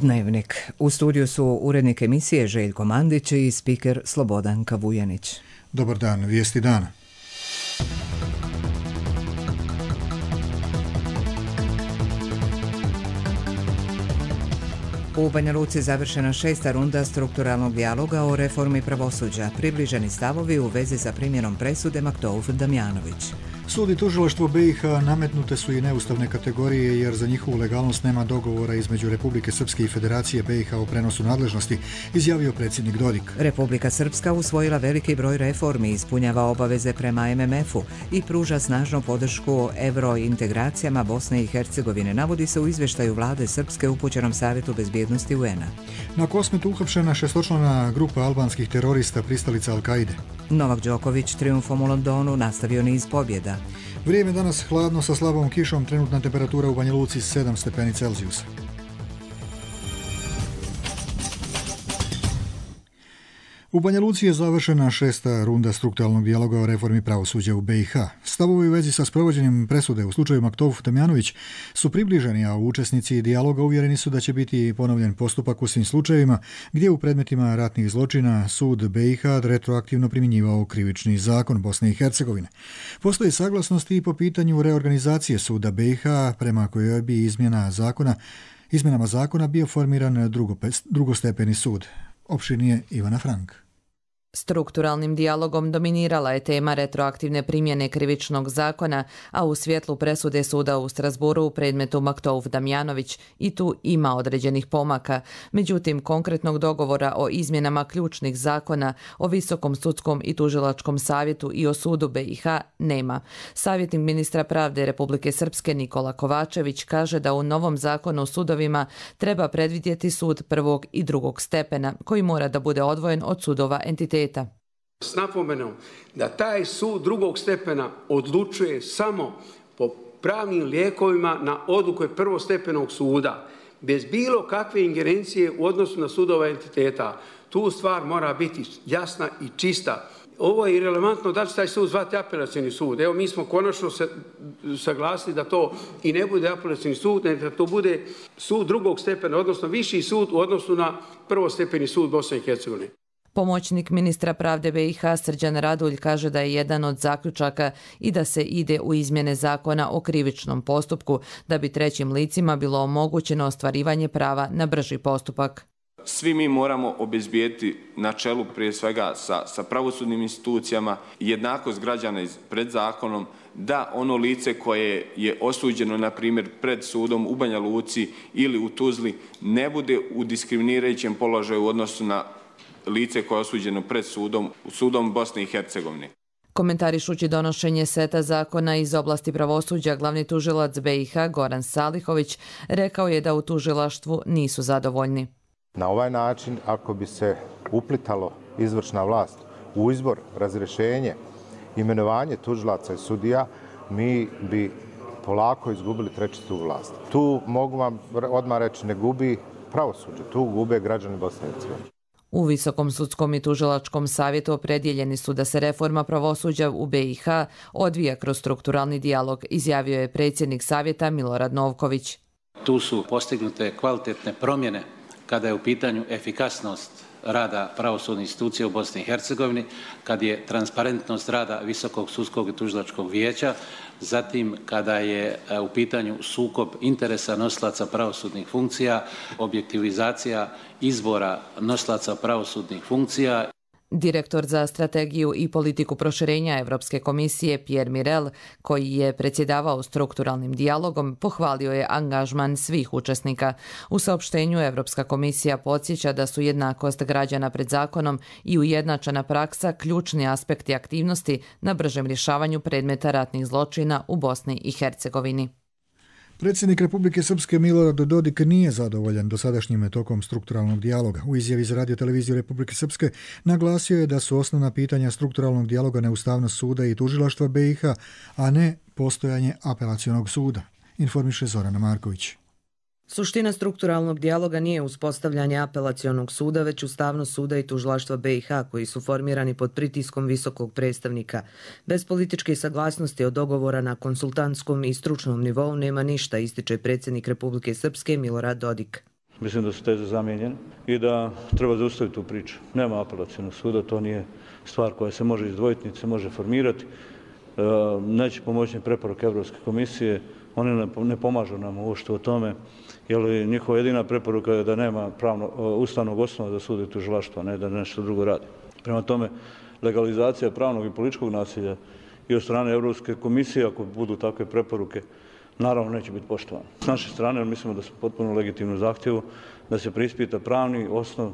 Dnevnik. U studiju su urednik emisije Željko Mandić i spiker Slobodanka Vujanić. Dobar dan, vijesti dana. U Banja Luci završena 6. runda strukturalnog dijaloga o reformi pravosuđa. Približeni stavovi u vezi sa primjenom presude Maktouf Damjanović. Sud i tužilaštvo BiH nametnute su i neustavne kategorije jer za njihovu legalnost nema dogovora između Republike Srpske i Federacije BiH o prenosu nadležnosti, izjavio predsjednik Dodik. Republika Srpska usvojila veliki broj reformi, ispunjava obaveze prema MMF-u i pruža snažnu podršku eurointegracijama Bosne i Hercegovine, navodi se u izvještaju vlade Srpske upućenom Savjetu bezbjednosti UN-a. Na Kosmetu uhapšena šestočlana grupa albanskih terorista pristalica Al-Kaide. Novak Đoković trijumfom u Londonu nastavio niz pobjeda. Vrijeme danas hladno sa slabom kišom, trenutna temperatura u Banja Luci 7 stepeni Celzijusa. U Banja Luci je završena 6. runda strukturalnog dijaloga o reformi pravosuđa u BiH. Stavovi u vezi sa sprovođenjem presude u slučaju Maktouf Damjanović su približeni, a učesnici dijaloga uvjereni su da će biti ponovljen postupak u svim slučajevima gdje u predmetima ratnih zločina sud BiH retroaktivno primjenjivao krivični zakon Bosne i Hercegovine. Postoji saglasnosti i po pitanju reorganizacije suda BiH prema kojoj bi izmjenama zakona bio formiran drugostepeni sud. Opširnije Ivana Frank. Strukturalnim dijalogom dominirala je tema retroaktivne primjene krivičnog zakona, a u svjetlu presude suda u Strasburu u predmetu Maktouf Damjanović i tu ima određenih pomaka. Međutim, konkretnog dogovora o izmjenama ključnih zakona, o Visokom sudskom i tužilačkom savjetu i o sudu BiH nema. Savjetnik ministra pravde Republike Srpske Nikola Kovačević kaže da u novom zakonu o sudovima treba predvidjeti sud prvog i drugog stepena, koji mora da bude odvojen od sudova entiteta. S napomenom da taj sud drugog stepena odlučuje samo po pravnim lijekovima na odluke prvostepenog suda, bez bilo kakve ingerencije u odnosu na sudova entiteta. Tu stvar mora biti jasna i čista. Ovo je irelevantno da će taj sud zvati apelacioni sud. Evo, mi smo konačno se saglasili da to i ne bude apelacioni sud, nego da to bude sud drugog stepena, odnosno viši sud u odnosu na prvostepeni sud Bosne i Hercegovine. Pomoćnik ministra pravde BiH Srđan Radulj kaže da je jedan od zaključaka i da se ide u izmjene zakona o krivičnom postupku, da bi trećim licima bilo omogućeno ostvarivanje prava na brži postupak. Svi mi moramo obezbijeti na čelu prije svega sa pravosudnim institucijama jednakost građana pred zakonom, da ono lice koje je osuđeno, na primjer, pred sudom u Banja Luci ili u Tuzli, ne bude u diskriminirajućem položaju u odnosu na lice koje je osuđeno pred sudom Bosne i Hercegovine. Komentarišući donošenje seta zakona iz oblasti pravosuđa, glavni tužilac BiH Goran Salihović rekao je da u tužilaštvu nisu zadovoljni. Na ovaj način, ako bi se uplitalo izvršna vlast u izbor, razrješenje, imenovanje tužilaca i sudija, mi bi polako izgubili trećistu vlast. Tu mogu vam odmah reći, ne gubi pravosuđe, tu gube građani Bosne i Hercegovine. U Visokom sudskom i tužilačkom savjetu opredjeljeni su da se reforma pravosuđa u BiH odvija kroz strukturalni dijalog, izjavio je predsjednik savjeta Milorad Novković. Tu su postignute kvalitetne promjene kada je u pitanju efikasnost rada pravosudnih institucija u Bosni i Hercegovini, kad je transparentnost rada Visokog sudskog i tužilačkog vijeća, zatim kada je u pitanju sukob interesa nosilaca pravosudnih funkcija, objektivizacija izbora nosilaca pravosudnih funkcija. Direktor za strategiju i politiku proširenja Evropske komisije Pierre Mirel, koji je predsjedavao strukturalnim dijalogom, pohvalio je angažman svih učesnika. U saopštenju Evropska komisija podsjeća da su jednakost građana pred zakonom i ujednačena praksa ključni aspekti aktivnosti na bržem rješavanju predmeta ratnih zločina u Bosni i Hercegovini. Predsjednik Republike Srpske Milorad Dodik nije zadovoljan dosadašnjim tokom strukturalnog dijaloga. U izjavi za Radio-televiziju Republike Srpske naglasio je da su osnovna pitanja strukturalnog dijaloga neustavnost suda i tužilaštva BiH, a ne postojanje apelacionog suda, informiše Zorana Marković. Suština strukturalnog dijaloga nije uspostavljanje apelacionog suda, već ustavnost suda i tužilaštva BiH, koji su formirani pod pritiskom visokog predstavnika. Bez političke saglasnosti od dogovora na konsultantskom i stručnom nivou nema ništa, ističe predsjednik Republike Srpske Milorad Dodik. Mislim da su teze zamijenjene i da treba zaustaviti tu priču. Nema apelacionog suda, to nije stvar koja se može izdvojiti, niti se može formirati. Neće pomoći preporuke Europske komisije, one ne pomažu nam uopšte o tome, jer njihova jedina preporuka je da nema ustavnog osnova za sud i tužilaštvo, ne da nešto drugo radi. Prema tome, legalizacija pravnog i političkog nasilja i od strane Europske komisije, ako budu takve preporuke, naravno neće biti poštovano. S naše strane mislimo da su potpuno legitimno zahtjevu da se preispita pravni osnov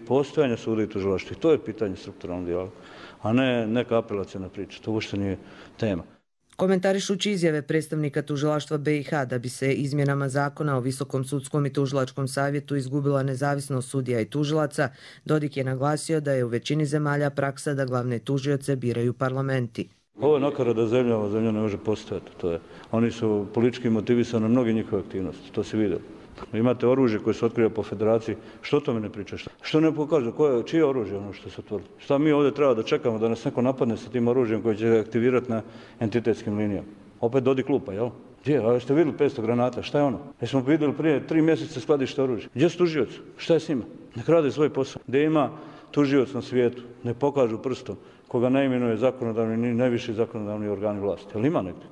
postojanja suda i tužilaštva. I to je pitanje strukturalnog dijaloga, a ne neka apelacijna priča. To uopšte nije tema. Komentarišući izjave predstavnika tužilaštva BiH da bi se izmjenama zakona o Visokom sudskom i tužilačkom savjetu izgubila nezavisnost sudija i tužilaca, Dodik je naglasio da je u većini zemalja praksa da glavne tužioce biraju parlamenti. Ovo je nakarada zemlja, ova zemlja ne može postojati. Oni su politički motivisani na mnoge njihove aktivnosti, to se vidjelo. Imate oružje koje se otkriva po federaciji, što o tome ne pričaš? Što ne pokazuje? Čije oružje ono što se otvorilo? Šta mi ovdje treba da čekamo da nas neko napadne sa tim oružjem koje će aktivirati na entitetskim linijama? Opet Dodik lupa, jel? Gdje? A jeste vidjeli 500 granata? Šta je ono? Jesmo vidjeli prije 3 mjeseca skladište oružja? Gdje su tužioci? Šta je s njima? Nek rade svoj posao. Gdje ima tužioc na svijetu? Ne pokažu prstom koga ne imenuje zakonodavni ni najviši zakonodavni organi vlasti. Jel ima negdje?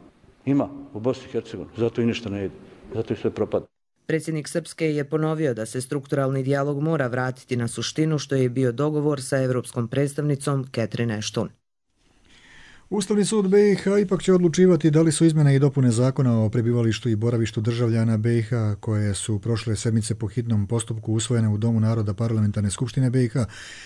Ima, u Bosni i Hercegovini. Zato i ništa ne ide. Zato i sve propada. Predsjednik Srpske je ponovio da se strukturalni dijalog mora vratiti na suštinu, što je bio dogovor sa evropskom predstavnicom Catherine Ashton. Ustavni sud BiH ipak će odlučivati da li su izmjene i dopune zakona o prebivalištu i boravištu državljana BiH koje su prošle sedmice po hitnom postupku usvojene u Domu naroda Parlamentarne skupštine BiH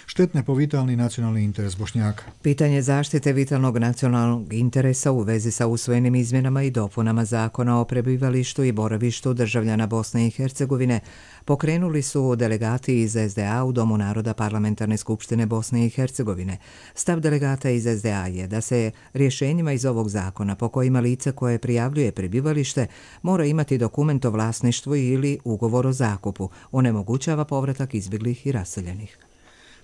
štetne po vitalni nacionalni interes Bošnjaka. Pitanje zaštite vitalnog nacionalnog interesa u vezi sa usvojenim izmjenama i dopunama zakona o prebivalištu i boravištu državljana Bosne i Hercegovine pokrenuli su delegati iz SDA u Domu naroda Parlamentarne skupštine Bosne i Hercegovine. Stav delegata iz SDA je da se rješenjima iz ovog zakona po kojima lice koje prijavljuje prebivalište mora imati dokument o vlasništvu ili ugovor o zakupu, onemogućava povratak izbjeglih i raseljenih.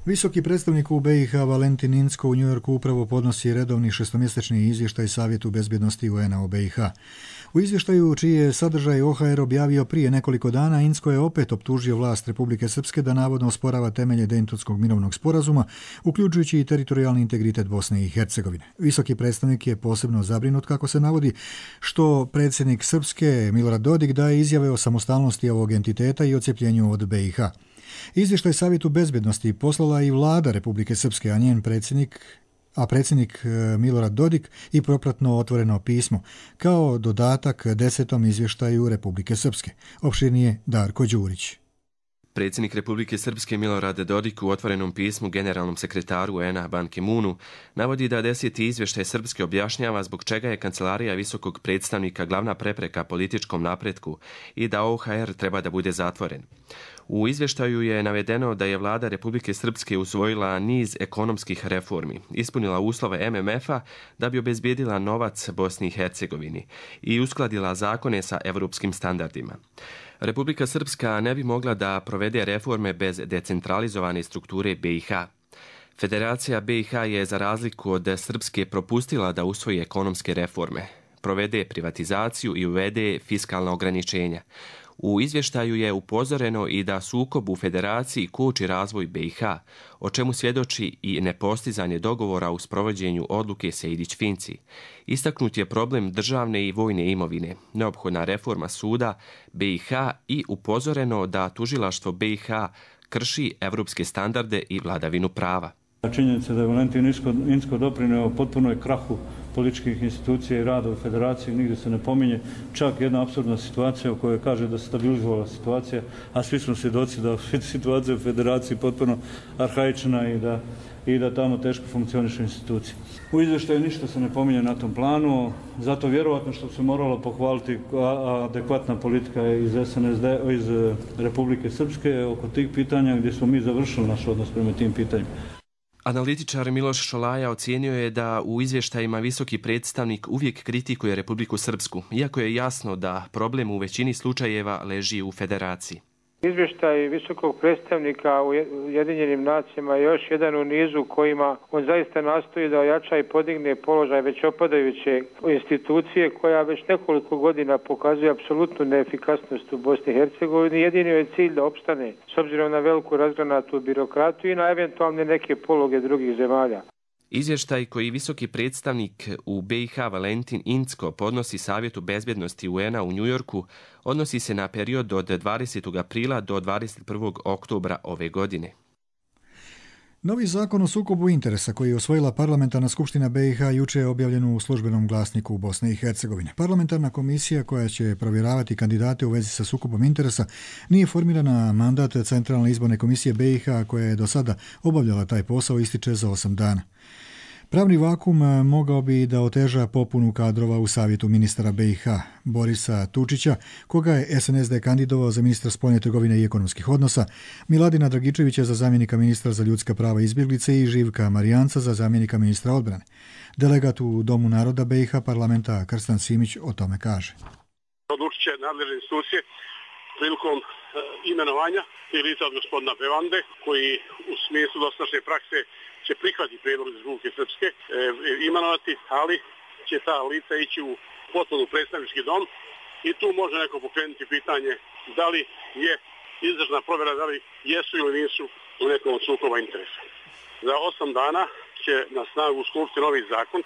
Visoki predstavnik u BiH Valentin Inzko u Njujorku upravo podnosi redovni šestomjesečni izvještaj Savjetu bezbjednosti UN-a o BiH. U izvještaju, čiji je sadržaj OHR objavio prije nekoliko dana, Inzko je opet optužio vlast Republike Srpske da navodno osporava temelje Dejtonskog mirovnog sporazuma, uključujući i teritorijalni integritet Bosne i Hercegovine. Visoki predstavnik je posebno zabrinut, kako se navodi, što predsjednik Srpske Milorad Dodik daje izjave o samostalnosti ovog entiteta i odcepljenju od BiH. Izvještaj Savjetu bezbjednosti poslala i vlada Republike Srpske, a njen predsjednik Milorad Dodik i propratno otvoreno pismo, kao dodatak 10. izvještaju Republike Srpske. Opširnije Darko Đurić. Predsjednik Republike Srpske Milorad Dodik u otvorenom pismu generalnom sekretaru UN-a Ban Ki-moonu navodi da 10. izvještaj Srpske objašnjava zbog čega je kancelarija visokog predstavnika glavna prepreka političkom napretku i da OHR treba da bude zatvoren. U izvještaju je navedeno da je vlada Republike Srpske usvojila niz ekonomskih reformi, ispunila uslove MMF-a da bi obezbijedila novac Bosni i Hercegovini i uskladila zakone sa evropskim standardima. Republika Srpska ne bi mogla da provede reforme bez decentralizovane strukture BiH. Federacija BiH je za razliku od Srpske propustila da usvoji ekonomske reforme, provede privatizaciju i uvede fiskalna ograničenja. U izvještaju je upozoreno i da sukob u federaciji koči razvoj BiH, o čemu svjedoči i nepostizanje dogovora u sprovođenju odluke Sejdić-Finci. Istaknut je problem državne i vojne imovine, neophodna reforma suda BiH i upozoreno da tužilaštvo BiH krši evropske standarde i vladavinu prava. Činjenica da je Valentin Inzko doprineo potpunoj krahu političkih institucija i rada u federaciji, nigdje se ne pominje. Čak jedna apsurdna situacija u kojoj kaže da se stabilizovala situacija, a svi smo svjedoci da je situacija u federaciji potpuno arhaična i da tamo teško funkcionišu institucije. U izvještaju ništa se ne pominje na tom planu, zato vjerovatno što se moralo pohvaliti adekvatna politika iz SNSD, iz Republike Srpske oko tih pitanja gdje smo mi završili naš odnos prema tim pitanjima. Analitičar Miloš Šolaja ocijenio je da u izvještajima visoki predstavnik uvijek kritikuje Republiku Srpsku, iako je jasno da problem u većini slučajeva leži u federaciji. Izvještaj visokog predstavnika u Ujedinjenim nacijama je još jedan u nizu kojima on zaista nastoji da ojača i podigne položaj već opadajuće institucije koja već nekoliko godina pokazuje apsolutnu neefikasnost u Bosni i Hercegovini. Jedini je cilj da opstane s obzirom na veliku razgranatu birokratiju i na eventualne neke pologe drugih zemalja. Izvještaj koji visoki predstavnik u BiH Valentin Incko podnosi Savjetu bezbjednosti UN-a u Njujorku odnosi se na period od 20. aprila do 21. oktobra ove godine. Novi zakon o sukobu interesa koji je usvojila parlamentarna skupština BiH juče je objavljen u službenom glasniku u Bosne i Hercegovine. Parlamentarna komisija koja će provjeravati kandidate u vezi sa sukobom interesa nije formirana, mandat Centralne izborne komisije BiH koja je do sada obavljala taj posao ističe za 8 dana. Pravni vakum mogao bi da oteža popunu kadrova u savjetu ministara BiH Borisa Tučića, koga je SNSD kandidovao za ministra spoljne trgovine i ekonomskih odnosa, Miladina Dragičevića za zamjenika ministra za ljudska prava i izbjeglice i Živka Marijanca za zamjenika ministra odbrane. Delegat u Domu naroda BiH parlamenta Krstan Simić o tome kaže. Odlučit će nadležne institucije prilikom imenovanja i lica od gospodina Bevande, koji u smislu dosadašnje prakse će prihvatiti prijedlog iz Republike Srpske imenovati, ali će ta lica ići u potpuno predstavnički dom i tu može neko pokrenuti pitanje da li je izvršna provjera, da li jesu ili nisu u nekom sukoba interesa. Za 8 dana će na snagu stupiti novi zakon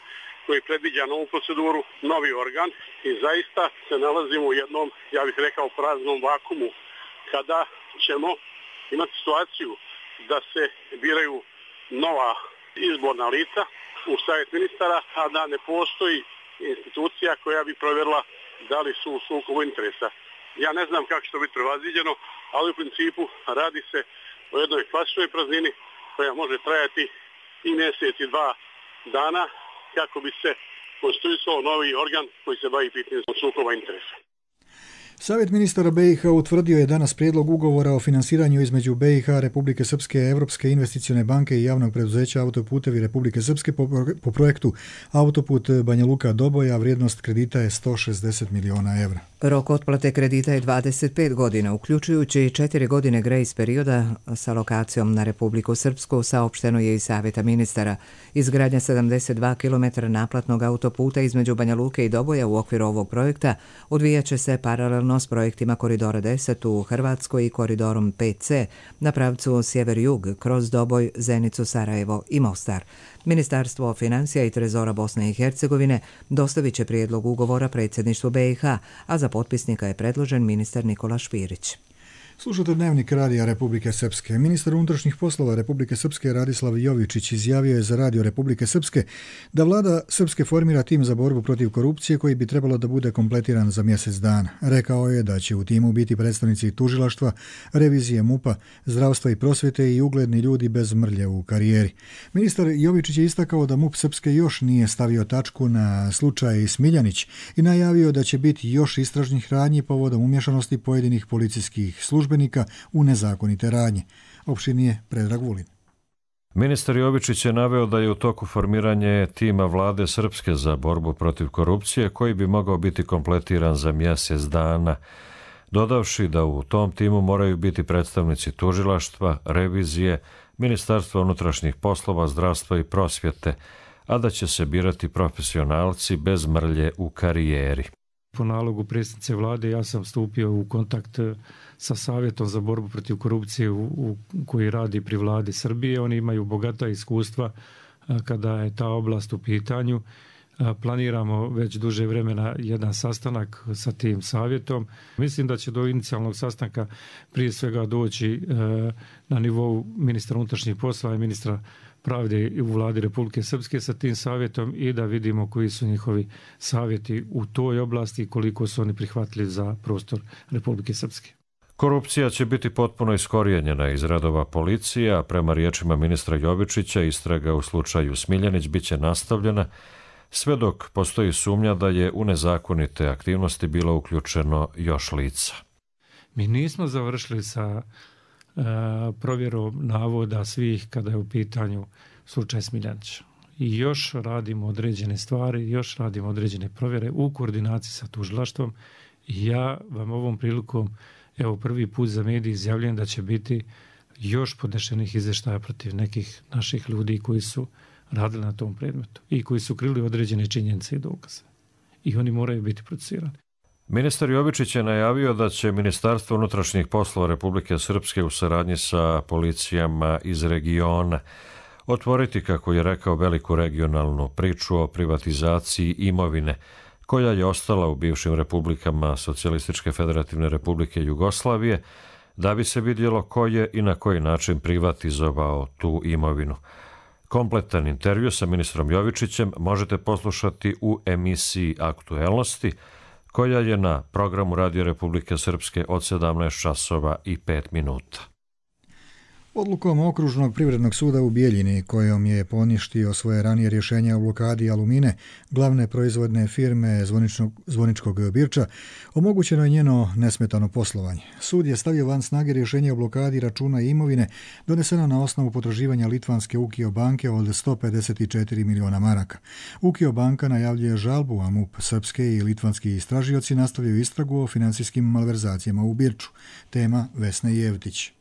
koji predviđa novu proceduru, novi organ i zaista se nalazimo u jednom, ja bih rekao, praznom vakumu kada ćemo imati situaciju da se biraju nova izborna lica u savjet ministara, a da ne postoji institucija koja bi provjerila da li su u sukobu interesa. Ja ne znam kako će to biti prevaziđeno, ali u principu radi se o jednoj klasičnoj praznini koja može trajati i mjesec i 2 dana kako bi se konstituisao novi organ koji se bavi pitanjem sukoba interesa. Savjet ministara BiH utvrdio je danas prijedlog ugovora o finansiranju između BiH, Republike Srpske, Europske investicione banke i javnog preduzeća Autoputevi Republike Srpske po projektu Autoput Banja Luka-Doboj, a vrijednost kredita je 160 miliona evra. Rok otplate kredita je 25 godina, uključujući 4 godine grejs perioda sa lokacijom na Republiku Srpsku, saopšteno je iz Savjeta ministara. Izgradnja 72 km naplatnog autoputa između Banja Luke i Doboja u okviru ovog projekta odvijat će se paralelno s projektima Koridora 10 u Hrvatskoj i Koridorom 5C na pravcu sjever-jug kroz Doboj, Zenicu, Sarajevo i Mostar. Ministarstvo financija i trezora Bosne i Hercegovine dostavit će prijedlog ugovora predsjedništvu BiH, a za potpisnika je predložen ministar Nikola Špirić. Slušate Dnevnik Radija Republike Srpske. Ministar unutrašnjih poslova Republike Srpske Radislav Jovičić izjavio je za Radio Republike Srpske da vlada Srpske formira tim za borbu protiv korupcije koji bi trebalo da bude kompletiran za mjesec dana. Rekao je da će u timu biti predstavnici tužilaštva, revizije MUP-a, zdravstva i prosvjete i ugledni ljudi bez mrlje u karijeri. Ministar Jovičić je istakao da MUP Srpske još nije stavio tačku na slučaj Smiljanić i najavio da će biti još istražnih radnji povodom umješanosti pojedinih policijskih službenika u nezakonite radnje. Opširnije Predrag Vulin. Ministar Jovičić je naveo da je u toku formiranje tima vlade Srpske za borbu protiv korupcije koji bi mogao biti kompletiran za mjesec dana, dodavši da u tom timu moraju biti predstavnici tužilaštva, revizije, Ministarstva unutrašnjih poslova, zdravstva i prosvjete, a da će se birati profesionalci bez mrlje u karijeri. Po nalogu predsjednice vlade ja sam stupio u kontakt sa Savjetom za borbu protiv korupcije koji radi pri vladi Srbije. Oni imaju bogata iskustva kada je ta oblast u pitanju. Planiramo već duže vremena jedan sastanak sa tim savjetom. Mislim da će do inicijalnog sastanka prije svega doći na nivou ministra unutrašnjih poslova i ministra pravde u vladi Republike Srpske sa tim savjetom i da vidimo koji su njihovi savjeti u toj oblasti i koliko su oni prihvatili za prostor Republike Srpske. Korupcija će biti potpuno iskorijenjena iz redova policije, a prema riječima ministra Jovičića istraga u slučaju Smiljanić biće nastavljena sve dok postoji sumnja da je u nezakonite aktivnosti bilo uključeno još lica. Mi nismo završili sa provjerom navoda svih kada je u pitanju slučaj Smiljanića. I još radimo određene stvari, još radimo određene provjere u koordinaciji sa tužilaštvom i ja vam ovom prilikom evo prvi put za mediji izjavljujem da će biti još podnešenih izvještaja protiv nekih naših ljudi koji su radili na tom predmetu i koji su krili određene činjenice i dokaze. I oni moraju biti procesuirani. Ministar Jovičić je najavio da će Ministarstvo unutrašnjih poslova Republike Srpske u saradnji sa policijama iz regiona otvoriti, kako je rekao, veliku regionalnu priču o privatizaciji imovine koja je ostala u bivšim republikama Socijalističke federativne republike Jugoslavije, da bi se vidjelo ko je i na koji način privatizovao tu imovinu. Kompletan intervju sa ministrom Jovičićem možete poslušati u emisiji Aktuelnosti, koja je na programu Radio Republike Srpske od 17 časova i 5 minuta. Odlukom Okružnog privrednog suda u Bijeljini, kojom je poništio svoje ranije rješenje o blokadi Alumine, glavne proizvodne firme Zvoničkog Birča, omogućeno je njeno nesmetano poslovanje. Sud je stavio van snage rješenje o blokadi računa i imovine doneseno na osnovu potraživanja litvanske Ukio banke od 154 miliona maraka. Ukio banka najavljuje žalbu, a MUP srpske i litvanski istražioci nastavljaju istragu o financijskim malverzacijama u Birču. Tema Vesna Jevtić.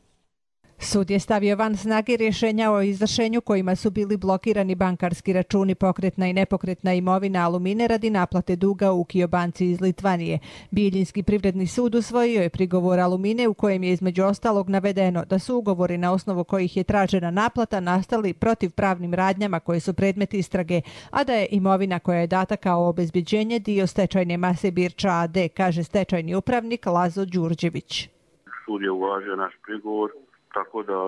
Sud je stavio van snage rješenja o izvršenju kojima su bili blokirani bankarski računi, pokretna i nepokretna imovina Alumine radi naplate duga u Ukio banci iz Litvanije. Bijeljinski privredni sud usvojio je prigovor Alumine u kojem je između ostalog navedeno da su ugovori na osnovu kojih je tražena naplata nastali protivpravnim radnjama koje su predmet istrage, a da je imovina koja je data kao obezbjeđenje dio stečajne mase Birča AD, kaže stečajni upravnik Lazo Đurđević. Sud je uvažio naš prigovor, tako da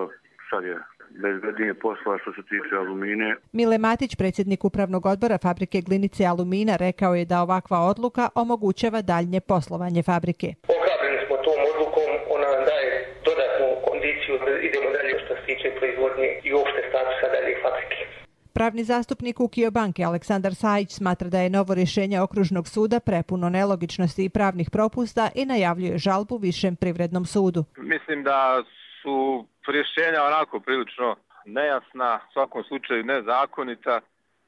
sad je bezbednije posla što se tiče Alumine. Mile Matić, predsjednik upravnog odbora fabrike Glinice Alumina, rekao je da ovakva odluka omogućava daljnje poslovanje fabrike. Ohrabreni smo tom odlukom, ona nam daje dodatnu kondiciju da idemo dalje što se tiče proizvodnje i uopšte statusa dalje fabrike. Pravni zastupnik Ukio banke Aleksandar Sajić smatra da je novo rješenje Okružnog suda prepuno nelogičnosti i pravnih propusta i najavljuje žalbu Višem privrednom sudu. Mislim da su rješenja onako prilično nejasna, u svakom slučaju nezakonita.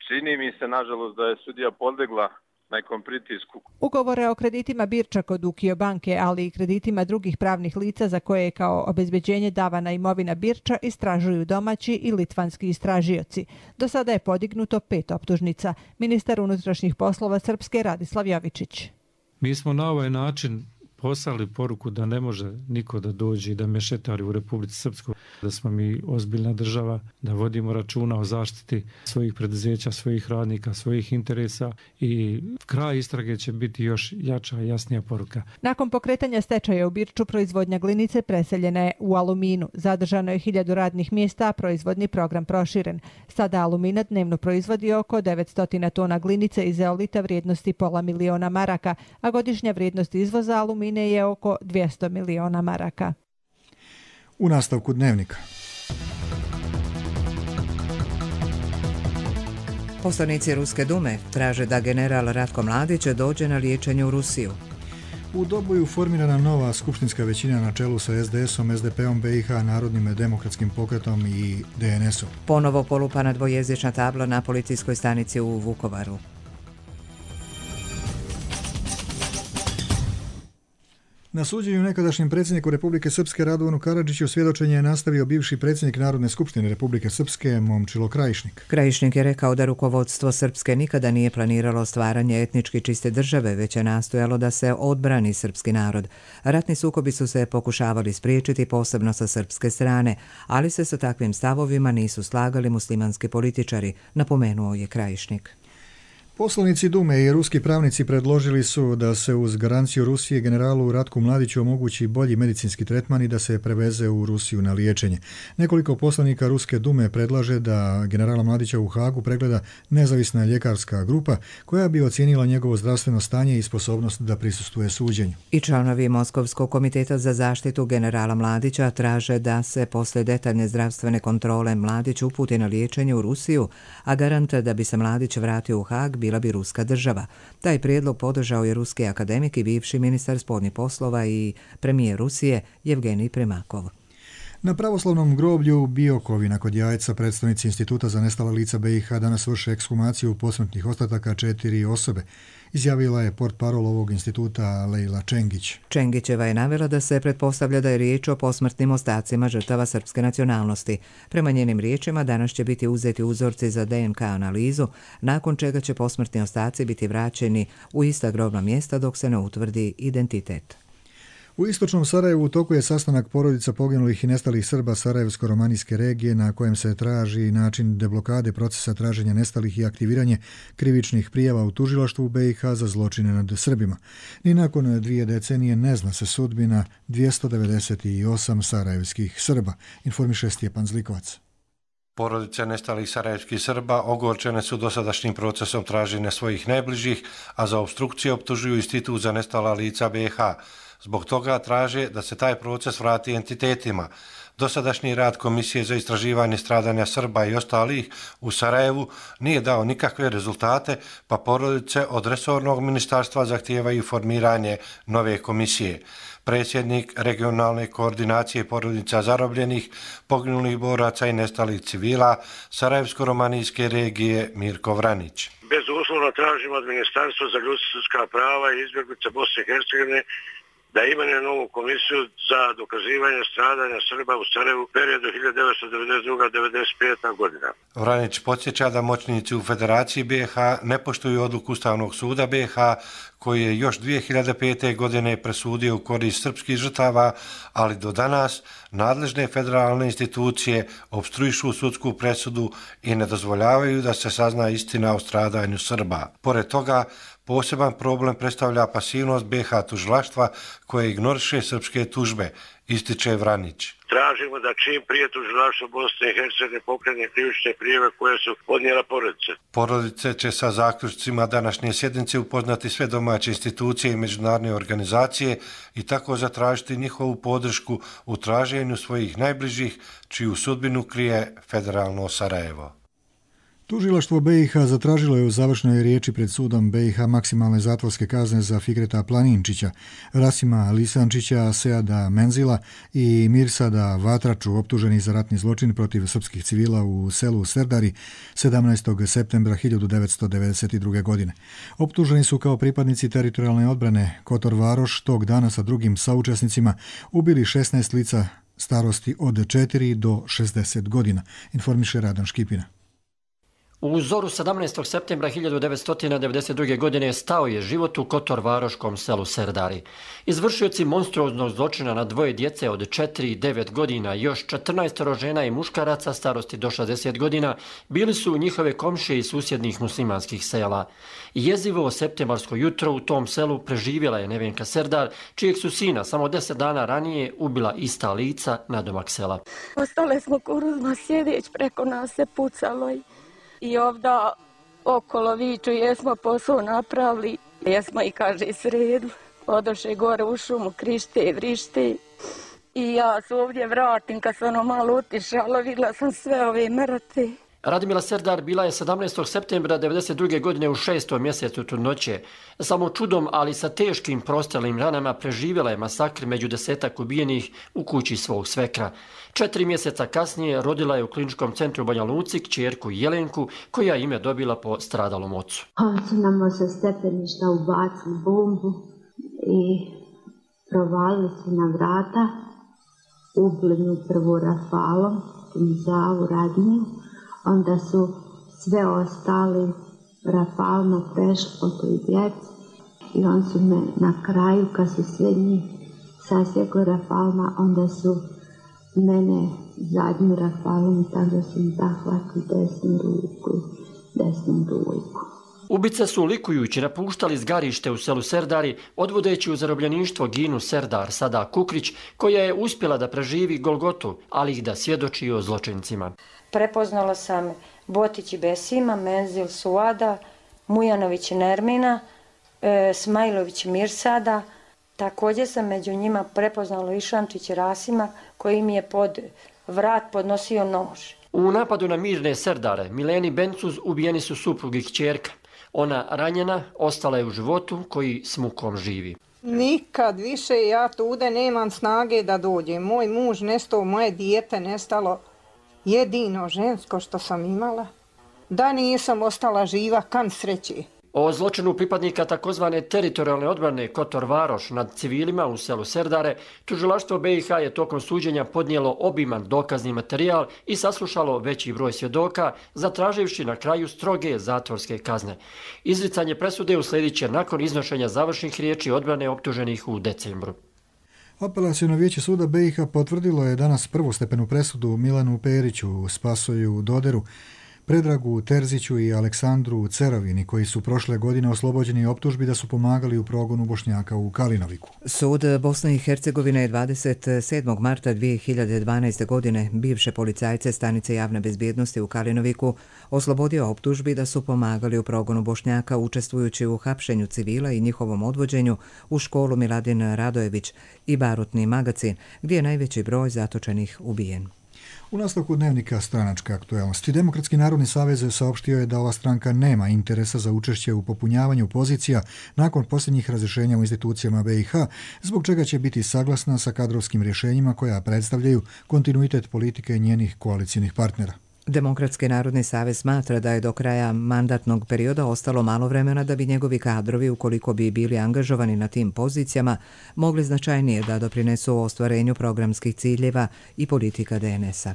Čini mi se, nažalost, da je sudija podlegla nekom pritisku. Ugovore o kreditima Birča kod Ukio banke, ali i kreditima drugih pravnih lica za koje je kao obezbeđenje davana imovina Birča istražuju domaći i litvanski istražioci. Do sada je podignuto 5 optužnica. Ministar unutrašnjih poslova Srpske Radislav Jovičić. Mi smo na ovaj način poslali poruku da ne može niko da dođe i da mešetari u Republici Srpskoj, da smo mi ozbiljna država, da vodimo računa o zaštiti svojih preduzeća, svojih radnika, svojih interesa i kraj istrage će biti još jača i jasnija poruka. Nakon pokretanja stečaja u Birču, proizvodnja glinice preseljena je u Aluminu. Zadržano je 1000 radnih mjesta, a proizvodni program proširen. Sada Alumina dnevno proizvodi oko 900 tona glinice i zeolita vrijednosti $500 000 maraka, a godišnja vrijednost izvoza Alumine je oko 200 miliona maraka. U nastavku dnevnika. Poslanici Ruske dume traže da general Ratko Mladić dođe na liječenje u Rusiju. U Doboju formirana nova skupštinska većina na čelu sa SDS-om, SDP-om BiH, Narodnim demokratskim pokretom i DNS-om. Ponovo polupana dvojezična tabla na policijskoj stanici u Vukovaru. Na suđenju nekadašnjem predsjedniku Republike Srpske Radovanu Karadžiću svjedočenje je nastavio bivši predsjednik Narodne skupštine Republike Srpske Momčilo Krajišnik. Krajišnik je rekao da rukovodstvo Srpske nikada nije planiralo stvaranje etnički čiste države, već je nastojalo da se odbrani srpski narod. Ratni sukobi su se pokušavali spriječiti, posebno sa srpske strane, ali se sa takvim stavovima nisu slagali muslimanski političari, napomenuo je Krajišnik. Poslanici Dume i ruski pravnici predložili su da se uz garanciju Rusije generalu Ratku Mladiću omogući bolji medicinski tretman i da se preveze u Rusiju na liječenje. Nekoliko poslanika Ruske Dume predlaže da generala Mladića u Hagu pregleda nezavisna ljekarska grupa koja bi ocijenila njegovo zdravstveno stanje i sposobnost da prisustvuje suđenju. I članovi Moskovskog komiteta za zaštitu generala Mladića traže da se posle detaljne zdravstvene kontrole Mladić uputi na liječenje u Rusiju, a garant da bi se Mladić vratio u Hag bila bi ruska država. Taj prijedlog podržao je ruski akademik i bivši ministar spoljnih poslova i premijer Rusije Jevgenij Primakov. Na pravoslavnom groblju u Biokovina kod Jajca predstavnici Instituta za nestala lica BiH danas vrše ekshumaciju posmrtnih ostataka 4 osobe, izjavila je portparol ovog instituta Lejla Čengić. Čengićeva je navela da se pretpostavlja da je riječ o posmrtnim ostacima žrtava srpske nacionalnosti. Prema njenim riječima danas će biti uzeti uzorci za DNK analizu, nakon čega će posmrtni ostaci biti vraćeni u ista grobna mjesta dok se ne utvrdi identitet. U istočnom Sarajevu u toku je sastanak porodica poginulih i nestalih Srba Sarajevsko-romanijske regije na kojem se traži način deblokade procesa traženja nestalih i aktiviranje krivičnih prijava u tužilaštvu BiH za zločine nad Srbima. Ni nakon 2 decenije ne zna se sudbina 298 sarajevskih Srba, informiše Stjepan Zlikovac. Porodice nestalih sarajevskih Srba ogorčene su dosadašnjim procesom traženja svojih najbližih, a za opstrukcije optužuju Institut za nestala lica BiH. Zbog toga traže da se taj proces vrati entitetima. Dosadašnji rad Komisije za istraživanje stradanja Srba i ostalih u Sarajevu nije dao nikakve rezultate, pa porodice od resornog ministarstva zahtijevaju formiranje nove komisije. Predsjednik regionalne koordinacije porodica zarobljenih, poginulih boraca i nestalih civila Sarajevsko-romanijske regije Mirko Vranić. Bezuslovno tražimo od Ministarstva za ljudska prava i izbjeglice Bosne i Hercegovine da imenuje novu komisiju za dokazivanje stradanja Srba u Sarajevu u periodu 1992-1995. godina. Vranić podsjeća da moćnici u Federaciji BiH ne poštuju odluku Ustavnog suda BiH koji je još 2005. godine presudio u korist srpskih žrtava, ali do danas nadležne federalne institucije opstruišu sudsku presudu i ne dozvoljavaju da se sazna istina o stradanju Srba. Pored toga, poseban problem predstavlja pasivnost BiH tužilaštva koje ignoriše srpske tužbe, ističe Vranić. Tražimo da čim prije tužilaštvo Bosne i Hercegovine pokrene krivične prijave koje su podnijela porodice. Porodice će sa zaključcima današnje sjednice upoznati sve domaće institucije i međunarodne organizacije i tako zatražiti njihovu podršku u traženju svojih najbližih, čiju sudbinu krije federalno Sarajevo. Tužilaštvo BiH zatražilo je u završnoj riječi pred sudom BiH maksimalne zatvorske kazne za Fikreta Planinčića, Rasima Lisančića, Seada Menzila i Mirsada Vatraču, optuženi za ratni zločin protiv srpskih civila u selu Serdari 17. septembra 1992. godine. Optuženi su kao pripadnici teritorijalne odbrane Kotor Varoš tog dana sa drugim saučesnicima ubili 16 lica starosti od 4 do 60 godina, informiše Radan Škipina. U zoru 17. septembra 1992. godine stao je život u Kotor-Varoškom selu Serdari. Izvršioci monstruoznog zločina na dvoje djece od 4 i 9 godina i još 14 žena i muškaraca starosti do 60 godina bili su njihove komšije iz susjednih muslimanskih sela. Jezivo septembarsko jutro u tom selu preživjela je Nevenka Serdar, čijeg su sina samo 10 dana ranije ubila ista lica nadomak sela. Ostale smo kuruzma sjedeć, preko nas se pucalo i ovdje okolo viču, jesmo posao napravili, jesmo i kaže sredili. Odoše gore u šumu, krište, vrište i ja se ovdje vratim, kad sam ono malo utišala, vidjela sam sve ove mrtve. Radmila Serdar bila je 17. septembra 1992. godine u 6. mjesecu trudnoće. Samo čudom, ali sa teškim prostralim ranama preživjela je masakr među 10 ubijenih u kući svog svekra. 4 mjeseca kasnije rodila je u kliničkom centru Banja Luci kćerku Jelenku, koja ime dobila po stradalom ocu. Oni su nam sa stepeništa ubacili bombu i provalili su na vrata, ubili mi prvo rafalom, Zavu Radniju, onda su sve ostali rafalno prešli po toj djeci i on su me na kraju, kad su sve njih sasjekli rafalma, onda su mene zadnju rafalom, tako su mi zahvatili desnu ruku, desnu dojku. Ubice su likujući napuštali zgarište u selu Serdari, odvodeći u zarobljeništvo Ginu Serdar, sada Kukrić, koja je uspjela da preživi Golgotu, ali i da svjedoči o zločincima. Prepoznala sam Botić Besima, Menzil Suada, Mujanović Nermina, Smajlović Mirsada. Također sam među njima prepoznala Išančić Rasima, koji mi je pod vrat podnosio nož. U napadu na mirne Serdare Mileni Bencuz ubijeni su suprug i kćerka. Ona ranjena ostala je u životu koji s mukom živi. Nikad više ja tude nemam snage da dođem. Moj muž nestao, moje dijete nestalo. Jedino žensko što sam imala. Da nisam ostala živa, kan sreće. O zločinu pripadnika takozvane teritorijalne odbrane Kotor Varoš nad civilima u selu Serdare, tužilaštvo BiH je tokom suđenja podnijelo obiman dokazni materijal i saslušalo veći broj svjedoka, zatraživši na kraju stroge zatvorske kazne. Izricanje presude usledit će nakon iznošenja završnih riječi odbrane optuženih u decembru. Apelaciono vijeće suda BiH potvrdilo je danas prvostepenu presudu Milanu Periću, Spasoju Doderu, Predragu Terziću i Aleksandru Cerovini, koji su prošle godine oslobođeni optužbi da su pomagali u progonu Bošnjaka u Kalinoviku. Sud Bosne i Hercegovine je 27. marta 2012. godine bivše policajce stanice javne bezbjednosti u Kalinoviku oslobodio optužbi da su pomagali u progonu Bošnjaka učestvujući u hapšenju civila i njihovom odvođenju u školu Miladin Radojević i barutni magacin, gdje je najveći broj zatočenih ubijen. U nastavku dnevnika stranačke aktuelnosti, Demokratski narodni savez saopštio je da ova stranka nema interesa za učešće u popunjavanju pozicija nakon posljednjih razrješenja u institucijama BiH, zbog čega će biti saglasna sa kadrovskim rješenjima koja predstavljaju kontinuitet politike njenih koalicijnih partnera. Demokratski narodni savez smatra da je do kraja mandatnog perioda ostalo malo vremena da bi njegovi kadrovi, ukoliko bi bili angažovani na tim pozicijama, mogli značajnije da doprinesu ostvarenju programskih ciljeva i politika DNS-a.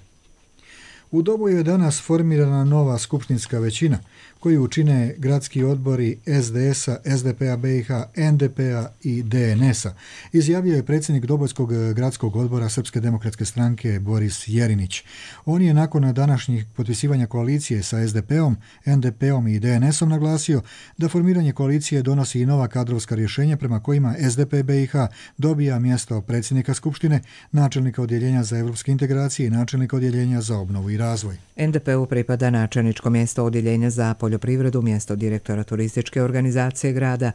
U Doboju je danas formirana nova skupštinska većina koju čine gradski odbori SDS-a, SDP-a BiH, NDP-a i DNS-a, izjavio je predsjednik Dobojskog gradskog odbora Srpske demokratske stranke Boris Jerinić. On je nakon današnjih potpisivanja koalicije sa SDP-om, NDP-om i DNS-om naglasio da formiranje koalicije donosi i nova kadrovska rješenja prema kojima SDP BiH dobija mjesto predsjednika Skupštine, načelnika odjeljenja za evropske integracije i načelnika odjeljenja za obnovu i razvoj. NDP-u pripada načelničko mjesto odjeljenja za poljoprivredu, mjesto direktora turističke organizacije grada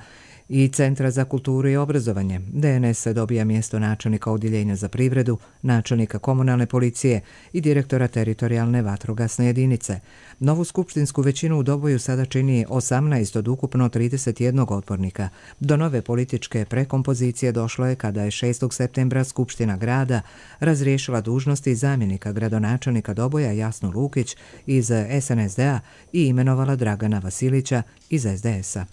i Centra za kulturu i obrazovanje. DNS dobija mjesto načelnika odjeljenja za privredu, načelnika komunalne policije i direktora teritorijalne vatrogasne jedinice. Novu skupštinsku većinu u Doboju sada čini 18 od ukupno 31 odbornika. Do nove političke prekompozicije došlo je kada je 6. septembra Skupština grada razriješila dužnosti zamjenika gradonačelnika Doboja Jasnu Lukić iz SNSD-a i imenovala Dragana Vasilića iz SDS-a.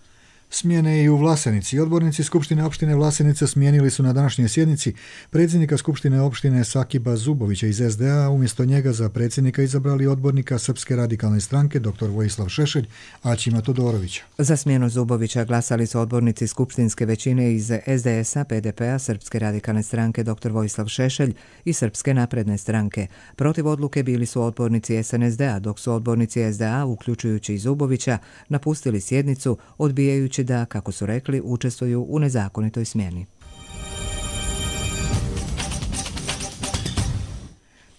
Smjene i u Vlasenici. Odbornici Skupštine opštine Vlasenica smijenili su na današnjoj sjednici predsjednika Skupštine opštine Sakiba Zubovića iz SDA, umjesto njega za predsjednika izabrali odbornika Srpske radikalne stranke dr. Vojislav Šešelj, Aćima Todorovića. Za smjenu Zubovića glasali su odbornici skupštinske većine iz SDS-a, PDP-a, Srpske radikalne stranke dr. Vojislav Šešelj i Srpske napredne stranke. Protiv odluke bili su odbornici SNSD-a, dok su odbornici SDA, uključujući i Zubovića, napustili sjednicu, odbijajući da, kako su rekli, učestvuju u nezakonitoj smjeni.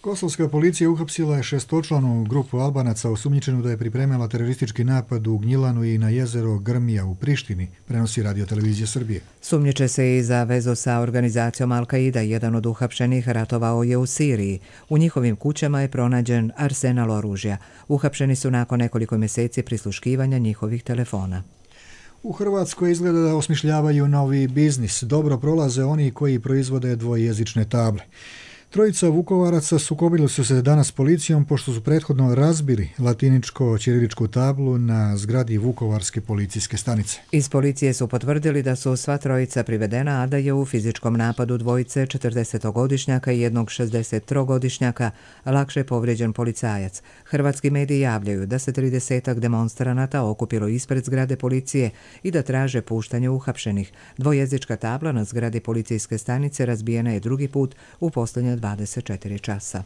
Kosovska policija uhapsila je 6-članu grupu Albanaca osumnjičenu da je pripremila teroristički napad u Gnjilanu i na jezero Grmija u Prištini, prenosi Radio-televizija Srbije. Sumnjiče se i za vezu sa organizacijom Al-Qaida. Jedan od uhapšenih ratovao je u Siriji. U njihovim kućama je pronađen arsenal oružja. Uhapšeni su nakon nekoliko mjeseci prisluškivanja njihovih telefona. U Hrvatskoj izgleda da osmišljavaju novi biznis. Dobro prolaze oni koji proizvode dvojezične table. Trojica Vukovaraca sukobili su se danas s policijom pošto su prethodno razbili latiničko-ćiriličku tablu na zgradi Vukovarske policijske stanice. Iz policije su potvrdili da su sva trojica privedena, a da je u fizičkom napadu dvojice 40-godišnjaka i jednog 63-godišnjaka lakše povrijeđen policajac. Hrvatski mediji javljaju da se 30-ak demonstranata okupilo ispred zgrade policije i da traže puštanje uhapšenih. Dvojezička tabla na zgradi policijske stanice razbijena je drugi put u posljednje 24 časa.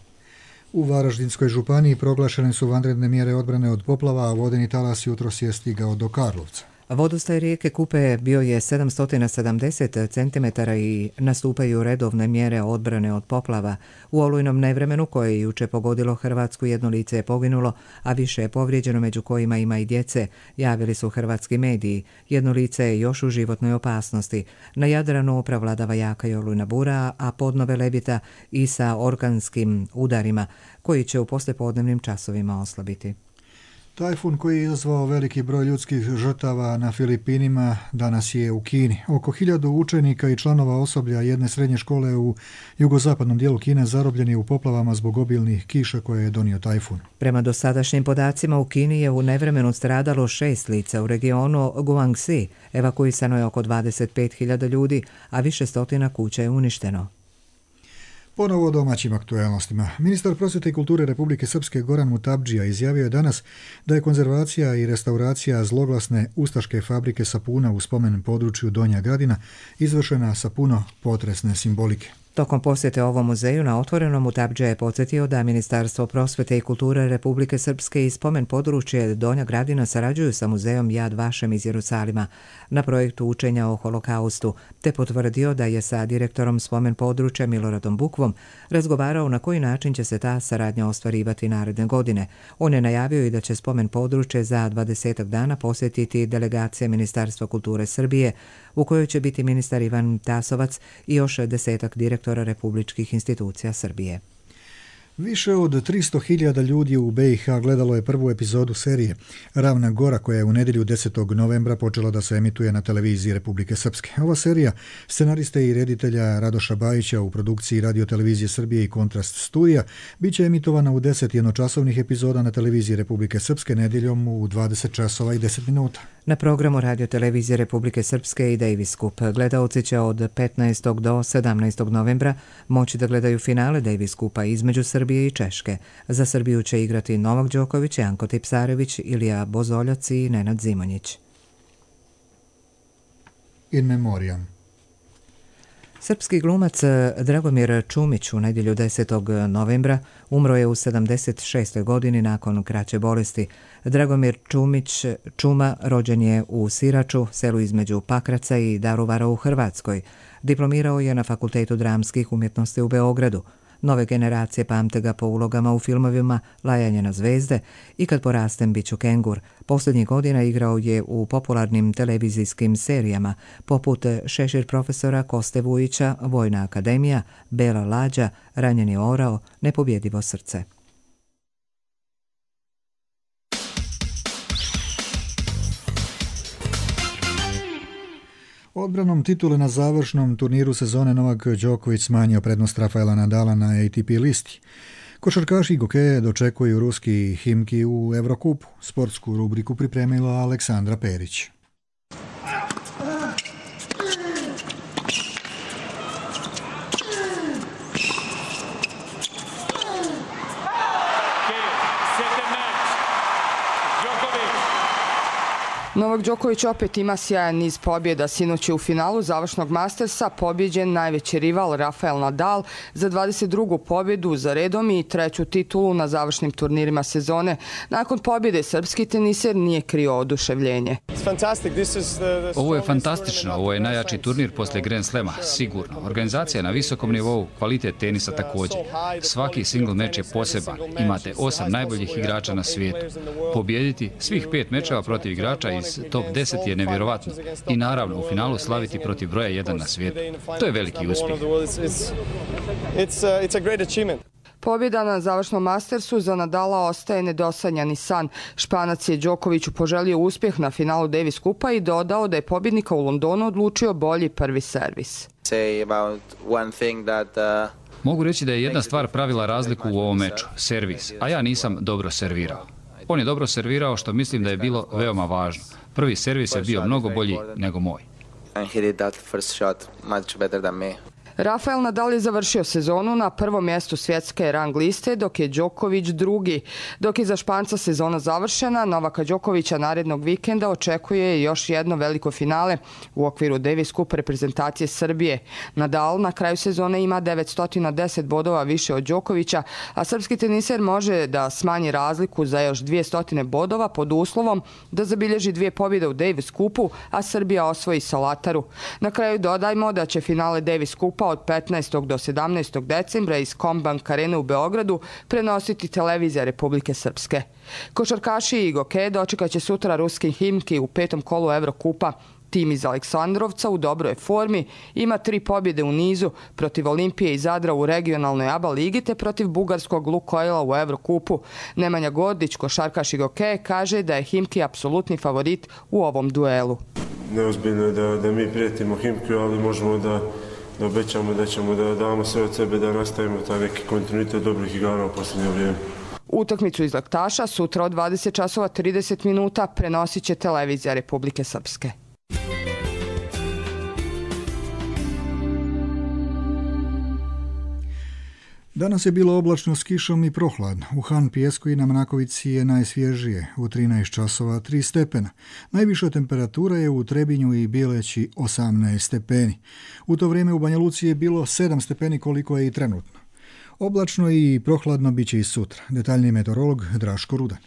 U Varaždinskoj županiji proglašene su vanredne mjere odbrane od poplava, a vodeni talas jutros je stigao do Karlovca. Vodostaj rijeke Kupe bio je 770 cm i nastupaju redovne mjere odbrane od poplava. U olujnom nevremenu koje je juče pogodilo Hrvatsku, jedno lice je poginulo, a više je povrijeđeno, među kojima ima i djece, javili su hrvatski mediji. Jedno lice je još u životnoj opasnosti. Na Jadranu prevladava jaka i olujna bura, a podno Velebita i sa orkanskim udarima koji će u poslijepodnevnim časovima oslabiti. Tajfun koji je izazvao veliki broj ljudskih žrtava na Filipinima danas je u Kini. Oko 1000 učenika i članova osoblja jedne srednje škole u jugozapadnom dijelu Kine zarobljeni u poplavama zbog obilnih kiša koje je donio tajfun. Prema dosadašnjim podacima u Kini je u nevremenu stradalo 6 lica u regionu Guangxi. Evakuisano je oko 25.000 ljudi, a više stotina kuća je uništeno. Ponovo o domaćim aktualnostima. Ministar prosvjete i kulture Republike Srpske Goran Mutabdžija izjavio je danas da je konzervacija i restauracija zloglasne ustaške fabrike sapuna u spomen području Donja Gradina izvršena sa puno potresne simbolike. Tokom posjete ovom muzeju na otvorenom Mutabdžija je podsjetio da Ministarstvo prosvjete i kulture Republike Srpske i spomen područje Donja Gradina sarađuju sa muzejom Yad Vashem iz Jerusalima na projektu učenja o holokaustu, te potvrdio da je sa direktorom spomen područja Miloradom Bukvom razgovarao na koji način će se ta saradnja ostvarivati naredne godine. On je najavio i da će spomen područje za 20 dana posjetiti delegacija Ministarstva kulture Srbije, u kojoj će biti ministar Ivan Tasovac i još 10 direktora republičkih institucija Srbije. Više od 300.000 ljudi u BiH gledalo je prvu epizodu serije Ravna Gora koja je u nedjelju 10. novembra počela da se emituje na televiziji Republike Srpske. Ova serija scenariste i reditelja Radoša Bajića u produkciji Radio-televizije Srbije i Kontrast studija bit će emitovana u 10 jednočasovnih epizoda na televiziji Republike Srpske nedjeljom u 20 časova i 10 minuta. Na programu Radio-televizije Republike Srpske i Davis Cup gledaoci će od 15. do 17. novembra moći da gledaju finale Davis Cupa između Srbije i Češke. Za Srbiju će igrati Novak Đoković, Janko Tipsarević, Ilija Bozoljac i Nenad Zimonjić. In memoriam. Srpski glumac Dragomir Čumić u nedjelju 10. novembra umro je u 76. godini nakon kraće bolesti. Dragomir Čumić Čuma rođen je u Siraču, selu između Pakraca i Daruvara u Hrvatskoj. Diplomirao je na Fakultetu dramskih umjetnosti u Beogradu. Nove generacije pamte ga po ulogama u filmovima Lajanje na zvezde i Kad porastem bit ću kengur. Posljednjih godina igrao je u popularnim televizijskim serijama poput Šešir profesora, Koste Vujića, Vojna akademija, Bela lađa, Ranjeni orao, Nepobjedivo srce. Odbranom titule na završnom turniru sezone Novak Đoković smanjio prednost Rafaela Nadala na ATP listi. Košarkaši Gokeje dočekuju ruski Himki u Evrokupu. Sportsku rubriku pripremila Aleksandra Perić. Novak Đoković opet ima sjajan niz pobjeda. Sinoć je u finalu završnog Mastersa pobjeđen najveći rival Rafael Nadal za 22. pobjedu za redom i 3. titulu na završnim turnirima sezone. Nakon pobjede srpski teniser nije krio oduševljenje. Ovo je fantastično, ovo je najjači turnir poslije Grand Slema, sigurno. Organizacija je na visokom nivou, kvalitet tenisa također. Svaki single meč je poseban, imate 8 najboljih igrača na svijetu. Pobjediti svih 5 mečeva protiv igrača iz top 10 je nevjerovatno i naravno u finalu slaviti protiv broja 1 na svijetu. To je veliki uspjeh. Pobjeda na završnom Mastersu za Nadala ostaje nedosanjani san. Španac je Đokoviću poželio uspjeh na finalu Davis Cupa i dodao da je pobjednika u Londonu odlučio bolji prvi servis. Mogu reći da je jedna stvar pravila razliku u ovom meču, servis, a ja nisam dobro servirao. On je dobro servirao što mislim da je bilo veoma važno. Prvi servis je bio mnogo bolji nego moj. Rafael Nadal je završio sezonu na prvom mjestu svjetske rang liste, dok je Đoković drugi. Dok je za Španca sezona završena, Novaka Đokovića narednog vikenda očekuje još jedno veliko finale u okviru Davis Cup reprezentacije Srbije. Nadal na kraju sezone ima 910 bodova više od Đokovića, a srpski teniser može da smanji razliku za još 200 bodova pod uslovom da zabilježi 2 pobjede u Davis Cupu, a Srbija osvoji Solataru. Na kraju dodajmo da će finale Davis Cupa od 15. do 17. decembra iz Combank Arene u Beogradu prenositi televizija Republike Srpske. Košarkaši i Gokeje dočekat će sutra ruski Himki u 5. kolu Evrokupa. Tim iz Aleksandrovca u dobroj formi ima 3 pobjede u nizu protiv Olimpije i Zadra u regionalnoj ABA ligi te protiv bugarskog Lukojla u Evrokupu. Nemanja Gordić, košarkaš i Gokeje, kaže da je Himki apsolutni favorit u ovom duelu. Neozbiljno je da mi prijetimo Himki, ali možemo da obećamo da ćemo da damo sve od sebe da nastavimo taj neki kontinuitet dobrih igara u posljednje vrijeme. Utakmicu iz Laktaša sutra od 20 časova 30 minuta prenosit će televizija Republike Srpske. Danas je bilo oblačno s kišom i prohladno. U Han Pijesku i na Mnakovici je najsvježije, u 13 časova 3 stepena. Najviša temperatura je u Trebinju i Bileći 18 stepeni. U to vrijeme u Banja Luci je bilo 7 stepeni koliko je i trenutno. Oblačno i prohladno bit će i sutra. Detaljniji meteorolog Draško Rudan.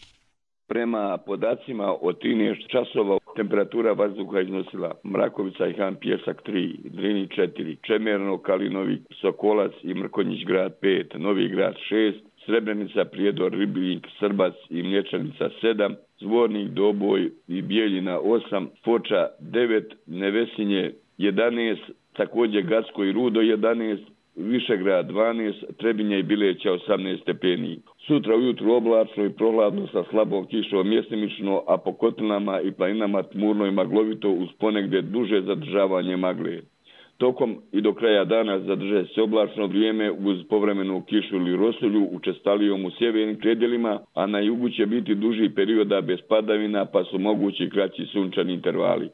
Prema podacima od 13 časova temperatura vazduha iznosila Mrakovica i Han Pijesak 3, Drini 4, Čemerno, Kalinovik, Sokolac i Mrkonjić grad 5, Novi grad 6, Srebrenica, Prijedor, Ribljnik, Srbac i Mlječanica 7, Zvornik, Doboj i Bijeljina 8, Foča 9, Nevesinje 11, također Gacko i Rudo 11, Višegrad 12, Trebinje i Bileća 18 stepeni. Sutra ujutru oblačno i prohladno sa slabom kišom mjestimično, a po kotlinama i planinama tmurno i maglovito uz ponegdje duže zadržavanje magle. Tokom i do kraja dana zadrže se oblačno vrijeme uz povremenu kišu ili rosulju učestalijom u sjevernim predjelima, a na jugu će biti duži perioda bez padavina pa su mogući kraći sunčani intervali.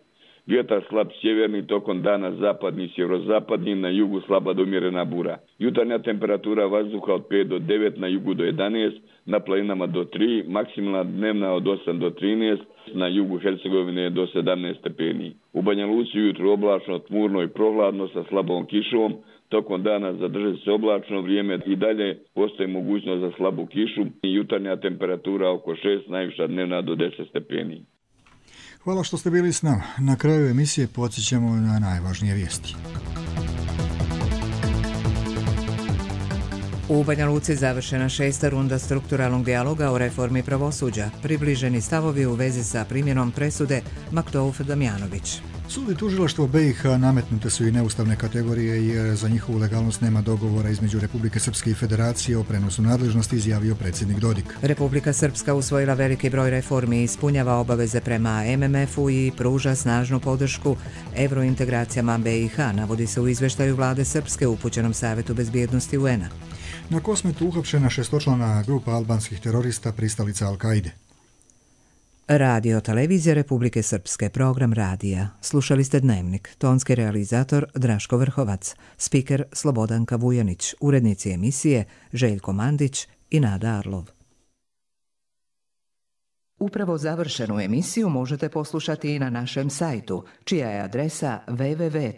Vjetar slab sjeverni, tokom dana zapadni i sjeverozapadni, na jugu slaba do umjerena bura. Jutarnja temperatura vazduha od 5 do 9, na jugu do 11, na planinama do 3, maksimalna dnevna od 8 do 13, na jugu Hercegovine do 17 stepeni. U Banja Luci ujutro oblačno, tmurno i prohladno sa slabom kišom, tokom dana zadrži se oblačno vrijeme i dalje postoji mogućnost za slabu kišu i jutarnja temperatura oko 6, najviša dnevna do 10 stepeni. Hvala što ste bili s nama. Na kraju emisije podsjećamo na najvažnije vijesti. U Banja Luci završena 6. runda strukturalnog dijaloga o reformi pravosuđa. Približeni stavovi u vezi sa primjenom presude Maktov-Damjanović. Sud i tužilaštvo BiH nametnute su i neustavne kategorije jer za njihovu legalnost nema dogovora između Republike Srpske i Federacije o prenosu nadležnosti, izjavio predsjednik Dodik. Republika Srpska usvojila veliki broj reformi i ispunjava obaveze prema MMF-u i pruža snažnu podršku evrointegracijama BiH, navodi se u izvještaju vlade Srpske upućenom Savjetu bezbjednosti UN-a. Na Kosmetu uhapšena 6-člana grupa albanskih terorista pristalica Al-Kaide. Radio Televizija Republike Srpske, program radija. Slušali ste Dnevnik, tonski realizator Draško Vrhovac, spiker Slobodanka Vujanić, urednici emisije Željko Mandić i Nada Arlov. Upravo završenu emisiju možete poslušati i na našem sajtu, čija je adresa www.rtrs.tv.